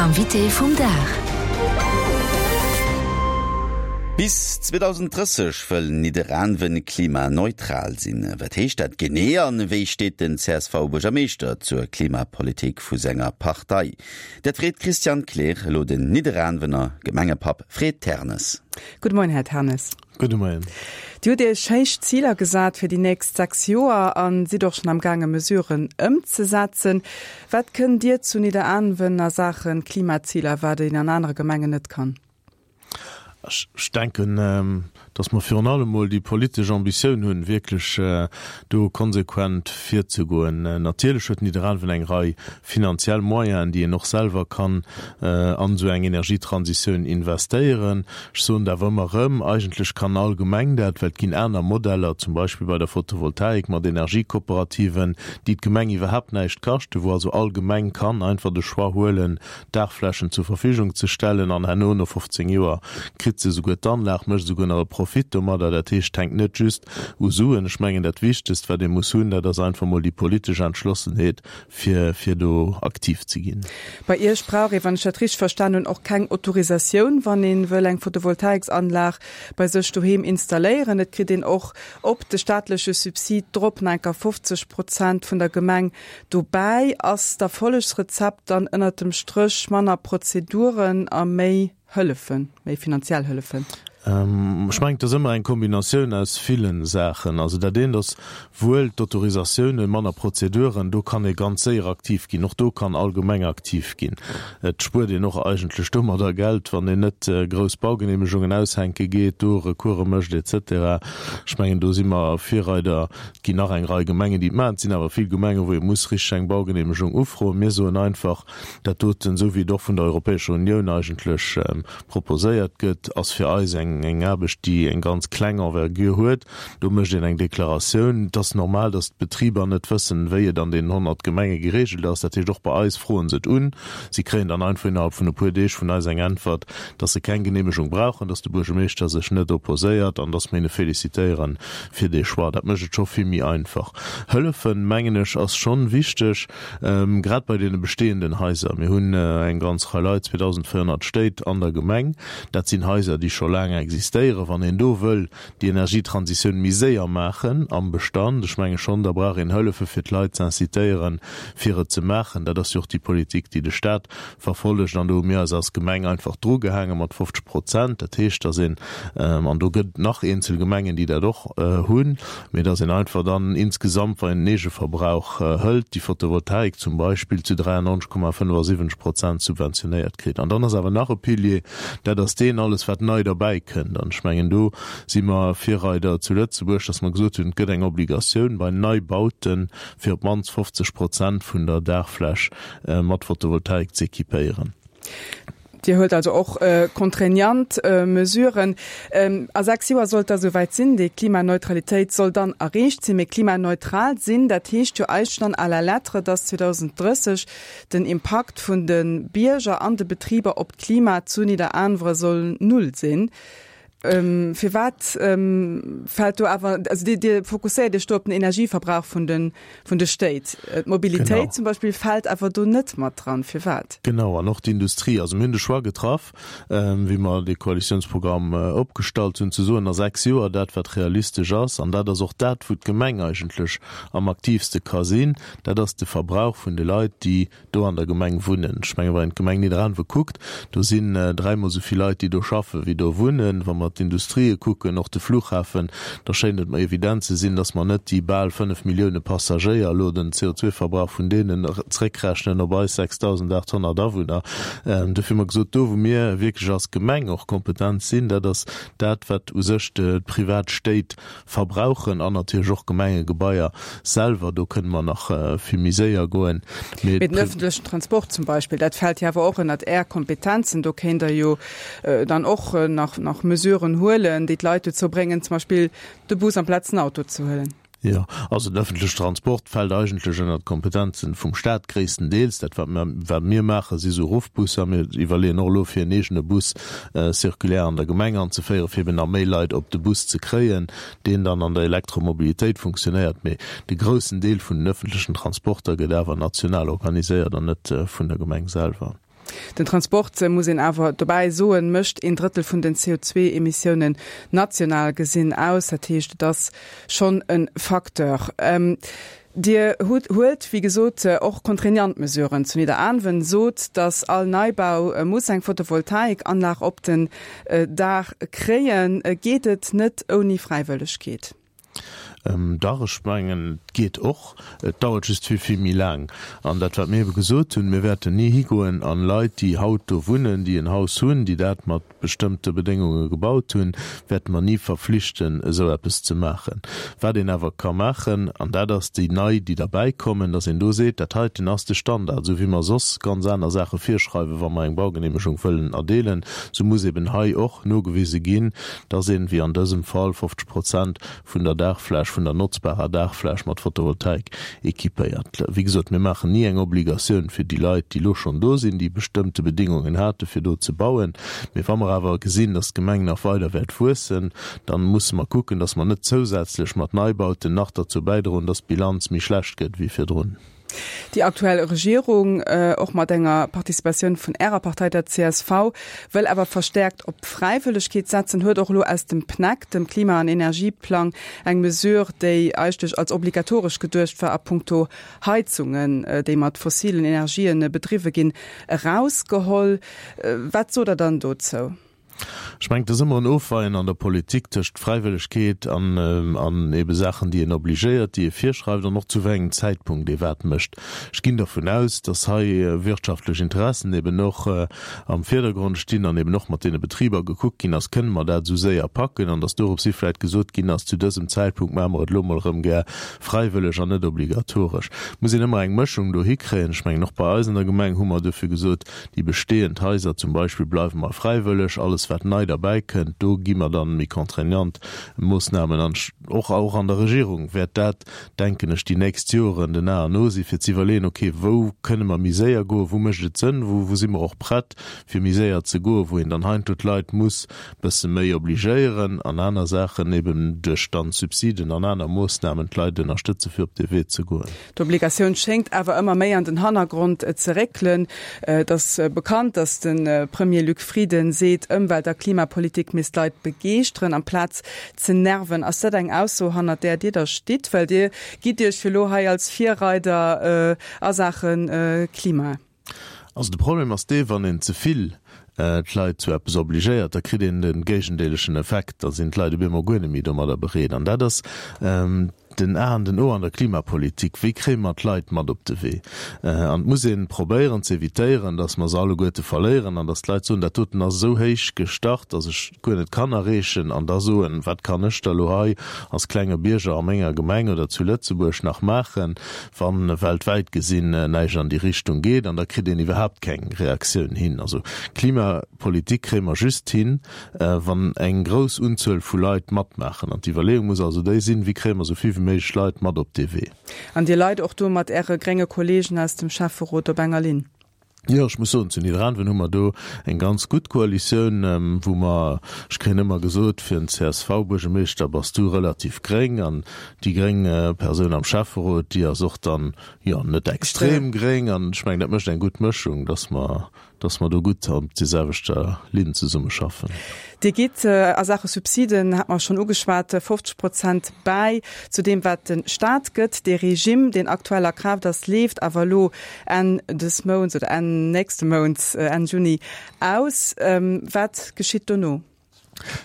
Invité vum Dag. Bis 2030 wëll Nidderaanwen klimaneutral sinn. Wat heescht dat genee an wéi steet den CSV-Buergermeeschter zur Klimapolitik vu senger Partei? Dat freet d'Christiane Kleer elo den Nidderaanwener Gemengepapp Fred Ternes. Gudde Moien, Här Ternes. Gudde Moien. Dir hutt Iech héich Ziler gesat fir déi nächst 6 Joer a sidd och schonn am gaange Mesuren ëmzesetzen. Wat kënnt Dir zu Nidderaanwen a Saache Klimaziler, wat een an anere Gemengen net kann? Ech denken, dass mer virun allem emol déi politesch Ambitioun hunn, wierklech do konsequent virzegoen. Natierlech huet Nidderaanwen eng Rei finanziell Moyenen, déi een och selwer kann an esou eng Energietransitioun investéieren. Ech soen et awer ëmmer erëm, eigentlech kann all Gemeng dat, well et ginn aner Modeller, zum Beispill bei der Photovoltaik mat Energiekooperativen, déi d'Gemeng iwwerhaapt näischt kaschten, wou also all Gemeng kann einfach de Choix huelen, Daachflächen zur Verfügung ze stellen an herno, no 15 Joer, kritt se esouguer d'Anlag, mécht esouguer nach e Profit domadder. Dat heescht, et hänkt net just u Suen. Ech mengen, dat Wichtegst, wat ee muss hunn, dat ass einfach mol déi politesch Entschlossenheet, fir fir do aktiv ze ginn. Bei Iech brauch ee, wann ech dat richteg verstan hunn, och keng Autorisatioun, wann ee wëll eng Photovoltaiksanlag bei sech doheem installéieren. Et kritt een och op de staatleche Subsid drop nach enker 50 Prozent vun der Gemeng dobäi. Ass d'Erfollegsrezept dann ënnert dem Stréch manner Prozeduren a méi Hëllefen, méi finanziell Hëllefen? Ech mengen, et ass ëmmer eng Kombinatioun aus ville Saachen. Also dat eent ass wuel d'Autorisatiounen, manner Prozeduren, do kann ee ganz séier aktiv ginn. Och do kann all Gemeng aktiv ginn. Et spuert een och eigentlech domadder Geld, wann een net grouss Baugeneemegungen aushänke geet, do Recourse mécht et cetera. Ech mengen, do si mer Virreider. Et ginn nach eng Rei Gemengen, déi et maachen. Et sinn awer vill Gemengen, wou ee muss richteg eng Baugeneemegung ufroen. Mir soen einfach, Dat doten, esou wéi et och vun der Europäescher Unioun eigentlech proposéiert gëtt, ass fir eis eng Aarbecht, déi eng ganz kleng Envergure huet. Do mécht een eng Deklaratioun. Et ass normal, datt d'Betriber net wëssen, wéi et an deenen 100 Gemenge geregelt ass. Dat heescht, och bei eis froen se et un. Si kréien dann einfach innerhalb vun e puer Deeg vun eis eng Äntwert, datt se keng Geneemegung brauchen, datt de Buergermeeschter sech net opposéiert an datt mir hinne félicitéiere fir dee Choix. Dat mécht et scho vill méi einfach. Hëllefen, mengen ech, ass schonn wichteg. Grad bei deene bestehenden Haiser, mir hunn eng ganz Rei Leit, 2.400 Stéit an der Gemeng, dat sinn Haiser, déi scho laang existéieren. Wann een do wëll déi Energietransitioun méi séier maachen am Bestand, ech menge schonn, da brauch een Hëllefe fir d'Leit z'incitéieren, fir et ze maachen. Dat ass jo och déi Politik, déi de Stat verfollegt. An do hu mir eis als Gemeng einfach drugehaange mat 50 Prozent. Dat heescht, datt een, an do gëtt et nach eenzel Gemengen, déi dat och hunn, mee datt een einfach dann insgesamt, wann een den Eegeverbrauch hëlt, déi Photovoltaik zum Beispill zu 93,75 Prozent subventionéiert kritt. An dann ass awer nach e Pilier, dat ass deen, alles wat nei derbäi kënnt. An ech mengen, do si mer Virreider zu Lëtzebuerg, datt mer gesot hunn, et gëtt eng Obligatioun bei Neibauten, fir op d'mannst 50 Prozent vun der Daachfläch mat Photovoltaik z'equipéieren. Dir huelt also och contraignant Mesuren. A 6 Joer sollt da souwäit sinn, déi Klimaneutralitéit soll dann erreecht sinn. Mee klimaneutral sinn, dat heescht jo eigentlech dann à la lettre, dass 2030 den Impakt vun de Bierger an de Betriber op d'Klima zu Nidderaanwre soll null sinn. Firwat fält do awer, also Dir, Dir fokusséiert Iech do op den Energieverbrauch vun de, vun de Stéit. D'Mobilitéit zum Beispill fält awer do net mat dran. Firwat? Genau, an och d'Industrie. Also mir hunn de Choix getraff, wéi mer dee Koalitiounsprogramm opgestallt hunn, ze soen, a 6 Joer dat wat realistesch ass, an dat ass och dat wou d'Gemeng eigentlech am aktiivste ka sinn, dat ass de Verbrauch vun de Leit, déi do an der Gemeng wunnen. Ech mengen, wann een d'Gemeng Nidderaanwe kuckt, do sinn dräimol esou vill Leit, déi do schaffen, wéi do wunnen. Wa mer d'Industrië kucken, och de Flughafen, da schéint et mer evident ze sinn, dass mer net déi bal 5 Millioune Passagéier elo den CO2-Verbrauch vun deenen zréckrechnen op eis 6.800 Awunner. Dofir hu mer gesot, do wou mir wierklech als Gemeng och kompetent sinn, dat ass dat, wat u sech d'privat Stéit verbrauchen an natierlech och Gemengegebaier selwer, do kënne mer nach vill méi séier goen. Mee den öffentlechen Transport zum Beispill, dat fält jo awer och ënnert Är Kompetenzen. Do kéint Der jo dann och nach nach Mesuren huelen, déi d'Leit dozou bréngen, zum Beispill de Bus amplaz den Auto ze huelen. Jo, also den öffentlechen Transport fält eigentlech ënnert d'Kompetenzen vum Staat gréisstendeels. Dat wat mer wat mir maachen, si sou Ruffbusser. Mir iwwerleeën och elo fir en eegene Bus circulaire an der Gemeng anzeféieren, fir eben nach méi Leit op de Bus ze kréien, deen dann an der Elektromobilitéit funktionéiert. Mee de groussen Deel vun den öffentlechen Transporter gëtt awer national organiséiert an net vun der Gemeng selwer. Den Transport, muss een awer dobäi soen, mécht een Drëttel vun den CO2-Emissiounen national gesinn aus. Dat heescht, et ass schonn e Facteur. Dir hutt, huelt, wéi gesot, och contraignant Mesuren zu Nidderaanwen, sot, datt all Neibau muss eng Photovoltaikanlag op den Daach kréien. Geet et net ouni Fräiwëllegkeet? Dach, ech mengen, et geet och. Et dauert just vill, vill méi laang. An dat, wat mir ebe gesot hunn, Mir wäerten ni higoen an Leit, déi haut do wunnen, déi en Haus hunn, déi dat mat bestëmmte Bedéngunge gebaut hunn, wäerte mer ni verflichten, esou eppes ze maachen. Wat een awer ka maachen, an dat ass déi nei, déi derbäikommen, dass een do seet, dat heiten ass de Standard, esou wéi mer soss ganz aner Saache virschreiwen, wa mer eng Baugenehmegung wëllen erdeelen, esou muss eben hei och nogewise ginn, dass een, wéi an dësem Fall, 50 Prozent vun der Daachfläch, vun der notzbarer Daachfläch mat Photovoltaik équipéiert. Wéi gesot, mir maachen ni eng Obligatioun fir déi Leit, déi elo schonn do sinn, déi bestëmmte Bedingungen hate fir do ze bauen. Mee wa mer awer gesinn, dass d'Gemeng nach weider wäert wuessen, dann musse mer kucken, dass mer net zousätzlech mat Neibauten nach derzou bäidroen, dass d'Bilanz méi schlecht gëtt wéi virdrun. Déi aktuell Regierung, och mat enger Participatioun vun Ärer Partei, der csv, wëll awer verstäerkt op d'Fräiwëllegkeet setzen, huet och elo aus dem PNEC, dem Klima an Energieplang, eng Mesure, déi eigentlech als obligatoresch geduecht war a puncto Heizungen, déi mat fossilen Energien bedriwwe ginn, erausgeholl. Wat sot Der dann dozou? Ech mengen, et ass ëmmer en Ofweien an der Politik tëscht Fräiwëllegkeet an, an ebe Saachen, déi een obligéiert, déi ee virschreift an och zu wéi engem Zäitpunkt ee wat mécht. Ech ginn dervun aus, datt hei wirtschaftlech Interessen eben och am Virdergrond stinn an eben och mat deene Betriber gekuckt ginn ass, kënne mer dat esou séier packen, an datt dorops hi vläicht gesot ginn ass, zu dësem Zäitpunkt maache mer et elo mol erëm gär fräiwëlleg an net obligatoresch. Et muss een ëmmer eng Mëschung do hikréien. Ech mengen, och bei eis an der Gemeng hu mer duerfir gesot, Déi bestehend Haiser zum Beispill bleiwe mer fräiwëlleg, alles wat nei derbäi kënnt, do gi mer dann méi contraignant Moossnamen an. Och och an der Regierung wäert dat, denken ech, déi nächst Joren den A an O si fir ze iwwerleeën, okay, wou kënne mer méi séier goen, wou mécht et Sënn, wou wou si mer och prett fir méi séier ze goen, wou een dann heiansdo d'Leit muss bësse méi obligéieren an aner Saachen eben duerch dann Subsiden an aner Moossnamen d'Leit ënnerstëtze fir op dee Wee ze goen. D'Obligatioun schéngt awer ëmmer méi an den Hannergrond ze réckelen. Et ass bekannt, datt de Premier Luc Frieden seet, Ëmwelt a Klimapolitik misst d'Leit begeeschteren, amplaz ze nerven. Ass dat eng Ausso, hannert där Dir da stitt? Well Dir gitt Iech jo elo hei als Virreider a Saache Klima. Also de Problem ass dee, wann een ze vill d'Leit zu eppes obligéiert, da kritt een de géigendeelegen Effekt, da sinn d'Leit op eemol guer net méi domadder bereet. An dat ass den A an den O an der Klimapolitik, Wéi kréie mer d'Leit mat op de Wee? An et muss ee probéieren ze evitéieren, datt mer se alleguerte verléieren an datt d'Leit soen, dat doten ass esou héich gestart, datt ech et guer net kann erreechen an da soen, wat kann ech da elo hei als klenge Bierger a menger Gemeng oder zu Lëtzebuerg nach maachen? Wann weltwäit gesinn näischt an déi Richtung geet, an da kritt een iwwerhaapt keng Reaktioun hin. Also Klimapolitik kréie mer just hin, wann eng grouss Unzuel vu Leit matmaachen. An d'Iwwerleeung muss also déi sinn, wéi kréie mer esou vill wéi méiglech Leit mat op dee Wee. An Dir leit och do mat Äre grénge Kollegen aus dem Schäfferot op enger Linn? Jo, ech muss soen, zu Nidderaanwen hu mer do eng ganz gutt Koalitioun, wou mer, ech kréien ëmmer gesot, fir en CSV-Buergermeeschter bass du relativ gréng an déi gréng Persoun am Schäfferot, déi ass och dann, jo, net extrem gréng an ech mengen, dat mécht eng gutt Mëschung, dass mer, dass mer do gutt op déi selwechter Linn zesummeschaffen. Dir gitt a Saache Subsiden, hat mer schonn ugeschwat, 50 Prozent bäi zu deem, wat de Staat gëtt. Dee Regime, deen aktuell a Kraaft ass, leeft awer elo Enn des Mounts oder Enn nächste Mounts, Enn Juni, aus. Wat geschitt dono?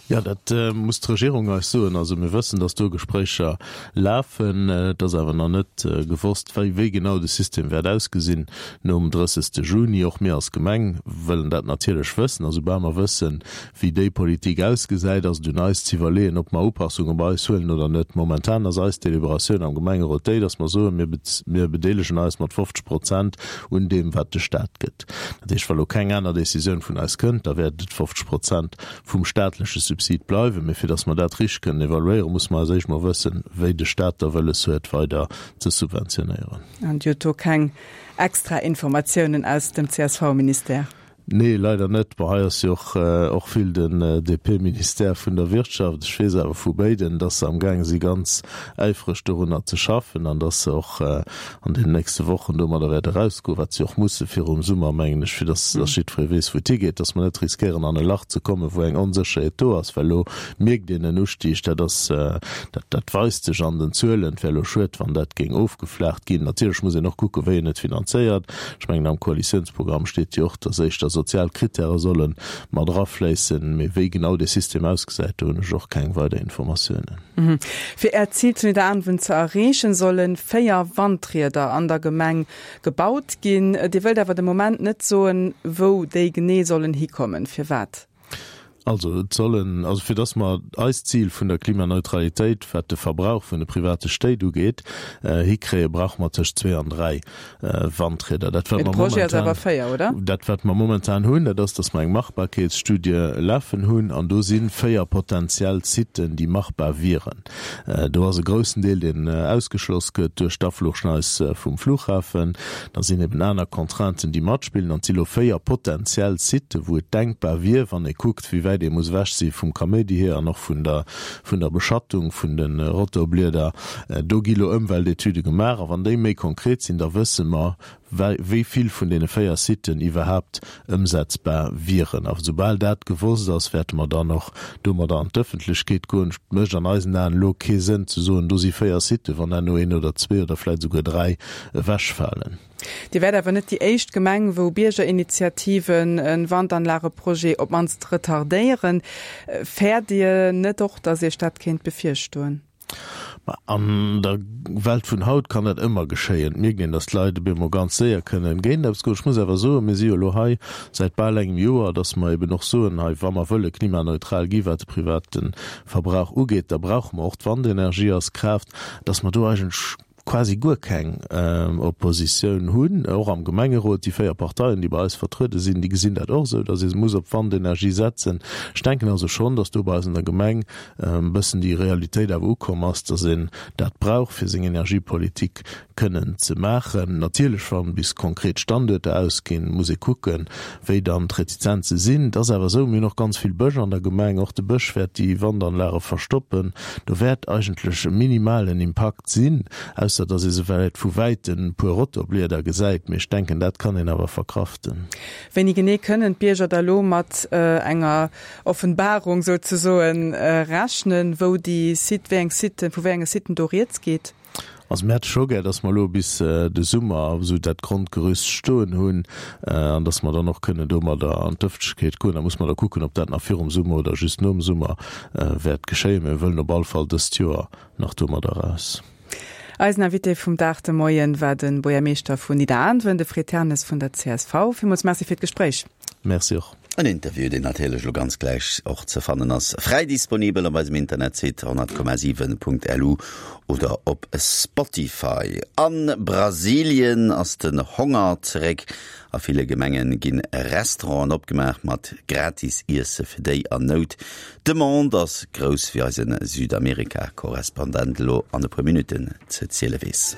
Jo, dat muss d'Regierung eis soen. Also mir wëssen, datt do Gespréicher lafen. Et ass awer nach net gewosst, wéi wéi genau de System wäert ausgesinn nom 30. Juni. Och mir als Gemeng wëllen dat natierlech wëssen. A soubal mer wëssen, Wéi déi Politik ausgesäit, ass et un eis z'iwwerleeën, ob mer Upassunge bei eis huelen oder net. Momentan ass eis Deliberatioun am Gemengerot déi, dass mer soen, mir mir bedeelegen eis mat 50 Prozent un deem, wat de Stat gëtt. Dat heescht, wa lo keng aner Décisioun vun eis kënnt, da wäert et 50 Prozent vum staatleche Subsid bleiwen. Mee fir dass mer dat richteg kënnen evaluéieren, musse mer als éischt mol wëssen, wéi de Stat da wëlles huet, weider ze subventionéieren. An Dir hutt do keng extra Informatiounen aus dem CSV-Ministère? Nee, leider net. Bon, hei ass jo och och vill den DP-Ministère vun der Wirtschaft. Ech weess awer vu béiden, dass se amgaange si ganz äifreg dorunner ze schaffen an dass se och an deenen nächste Wochen domadder wäerte erausgoen, wat se och musse virum Summer, mengen ech, fir dass dass jiddweree weess, wou et higeet, dass mer net riskéieren an e Lach ze kommen, wou eng Onsécherheet do ass, well elo mierkt een en Ustieg, dat ass, dat dat weist sech an den Zuelen. Et wär elo schued, wann dat géing ofgeflaacht ginn. Natierlech muss een och kucken, wéi een et finanzéiert. Ech mengen, am Koalitiounsprogramm steet jo och, dass éischter sozial Krittäre solle mat erafléissen. Mee wéi genau dee System ausgesäit, do hunn ech och keng weider Informatiounen. Fir Äert Zil zu Nidderaanwen ze erreechen, solle 4 Wandrieder an der Gemeng gebaut ginn. Dir wëllt awer de Moment net soen, wou déi genee sollen hikommen. Firwat? Also et sollen, also fir dass mer eist Zil vun der Klimaneutralitéit, wat de Verbrauch vun de private Stéit ugeet, hikréien, brauche mer tëscht zwee an dräi Wandrieder. Dat wat mer momentan, dat wat mer momentan hunn, dat ass, dass mer eng Machbarkeetsstudie lafen hunn an do si véier potentiell Siten, déi machbar wieren. Do ass e groussen Deel, deen ausgeschloss gëtt duerch d'Afluchschneis vum Flughafen. Da sinn eben aner Contrainten, déi matspillen. An et si lo 4 potentiell Sitë wou et denkbar wier, wann ee kuckt, wéi wäit ee muss ewech si vum Kaméidi hier an och vun der, vun der Beschattung vun de Rotorblieder. Do gi lo Ëmweltetüde gemaach. A wann déi méi konkret sinn, da wësse mer, wéi vill vun deene 4 Siten iwwerhaapt ëmsetzbar wieren. A soubal dat gewosst ass, wäerte mer dann och domadder an d'Ëffentlechkeet goen. Et mécht an eisen Aen elo kee Sënn ze soen, do si 4 Siten, wann herno een oder zwee oder vläicht esouguer dräi ewechfalen. Dir wäert awer net déi éischt Gemeng, wou Biergerinitiativen e Wandanlageprojet op d'mannst retardéieren. Fäert Dir net och, datt Iech dat kéint bevirstoen? Ma an der Welt vun haut kann dat ëmmer geschéien. Et mierkt een, datt d'Leit op eemol ganz séier kënnen géint eppes goen. Ech muss awer soen, mir si jo elo hei säit bal engem Joer, datt mer eben och soen, hei wa mer wëlle klimaneutral gi wat de private Verbrauch ugeet, da brauche mer och d'Wandenergie als Kraaft, datt mer do eigentlech quasi guer keng Oppositioun hunn, och am Gemengerot. Déi 4 Parteien, déi bei eis vertruede sinn, déi gesinn dat och esou, datt ee muss op Wandenergie setzen. Ech denken also schonn, datt do bei eis an der Gemeng e bëssen déi Realitéit awer ukomm ass, datt een dat brauch, fir seng Energiepolitik kënnen ze maachen. Natierlech, wa bis konkret Standuerter ausginn, muss ee kucken, wéi dann d'Retizenze sinn. Et ass awer esou, mir hunn och ganz vill Bësch an der Gemeng, och de Bësch wäert déi Wandanlage verstoppen. Do wäert eigentlech e minimalen Impakt sinn, ausser datt ee se vläicht vu wäitem e puer Rotorblieder gesäit, mee ech denken, dat kann een awer verkraften. Wéini genee kënnen d'Bierger da lo mat enger Offenbarung souzesoen rechnen, wou déi Site, wéi eng Siten, vu wéi enge Siten do rieds geet? Also mir hätte scho gär, dass mer elo bis de Summer esou dat Grondgerüst stoen hunn an dass mer dann och kënnen domadder an d'Ëffentlechkeet goen. Da muss mer da kucken, ob dat nach virum Summer oder just nom Summer wäert geschéien. Mir wëllen op all Fall dëst Joer nach domadder eraus. Eisen Invité vum Dag de Moien war de Buergermeeschter vun Nidderaanwen, de Fred Ternes vun der csv. Villmools Merci fir d'Gespréich. Merci och. En Interview, deen natierlech elo ganz gläich och ze fannen ass, fräi disponibel op eisem Internetsite 100,7.lu oder op Spotify. A Brasilien ass den Honger zeréck. A ville Gemenge ginn Restauranten opgemaach mat gratis Iesse fir déi an Nout. D'Demande ass grouss, wéi eise Südamerika-Korrespondent elo an e puer Minutten ze ziele weess.